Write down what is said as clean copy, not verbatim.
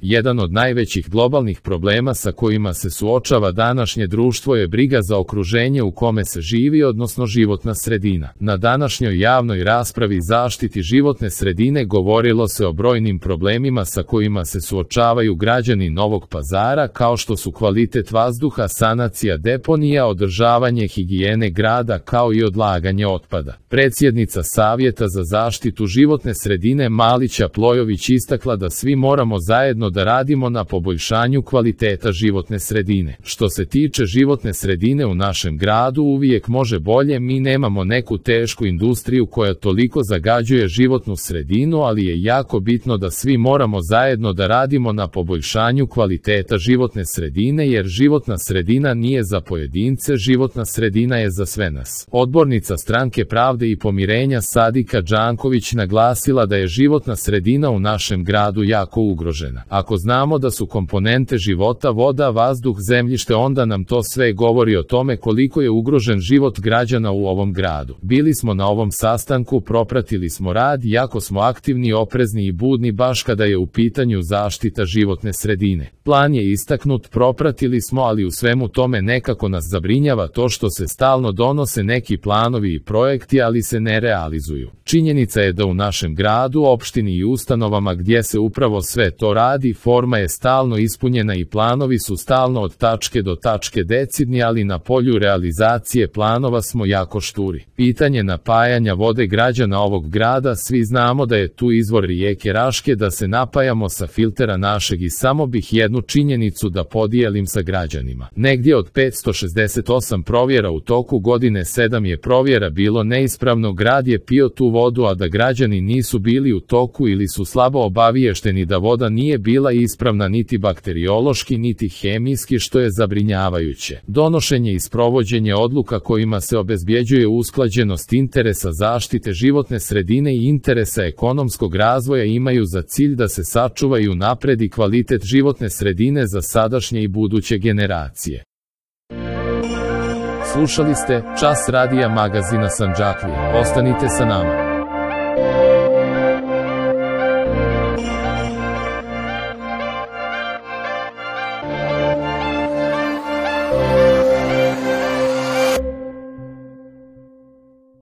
Jedan od najvećih globalnih problema sa kojima se suočava današnje društvo je briga za okruženje u kome se živi, odnosno životna sredina. Na današnjoj javnoj raspravi zaštiti životne sredine govorilo se o brojnim problemima sa kojima se suočavaju građani Novog Pazara, kao što su kvalitet vazduha, sanacija deponija, održavanje higijene grada, kao i odlaganje otpada. Predsjednica Savjeta za zaštitu životne sredine Malića Plojović istakla da svi moramo zajedno da radimo na poboljšanju kvaliteta životne sredine. Što se tiče životne sredine u našem gradu, uvijek može bolje. Mi nemamo neku tešku industriju koja toliko zagađuje životnu sredinu, ali je jako bitno da svi moramo zajedno da radimo na poboljšanju kvaliteta životne sredine, jer životna sredina nije za pojedince, životna sredina je za sve nas. Odbornica Stranke pravde i pomirenja Sadika Đanković naglasila da je životna sredina u našem gradu jako ugrožena. Ako znamo da su komponente života voda, vazduh, zemljište, onda nam to sve govori o tome koliko je ugrožen život građana u ovom gradu. Bili smo na ovom sastanku, propratili smo rad, jako smo aktivni, oprezni i budni baš kada je u pitanju zaštita životne sredine. Plan je istaknut, propratili smo, ali u svemu tome nekako nas zabrinjava to što se stalno donose neki planovi i projekti, ali se ne realizuju. Činjenica je da u našem gradu, opštini i ustanovama gdje se upravo sve to radi, forma je stalno ispunjena i planovi su stalno od tačke do tačke decidni, ali na polju realizacije planova smo jako šturi. Pitanje napajanja vode građana ovog grada, svi znamo da je tu izvor rijeke Raške, da se napajamo sa filtera našeg, i samo bih jednu činjenicu da podijelim sa građanima. Negdje od 568 provjera u toku godine 7 je provjera bilo neispravno, grad je pio tu vodu, a da građani nisu bili u toku ili su slabo obaviješteni da voda nije bila ispravna niti bakteriološki niti hemijski, što je zabrinjavajuće. Donošenje i sprovođenje odluka kojima se obezbjeđuje usklađenost interesa zaštite životne sredine i interesa ekonomskog razvoja imaju za cilj da se sačuva i unapredi kvalitet životne sredine za sadašnje i buduće generacije. Slušali ste Čas radija magazina Sandžaklija. Ostanite sa nama.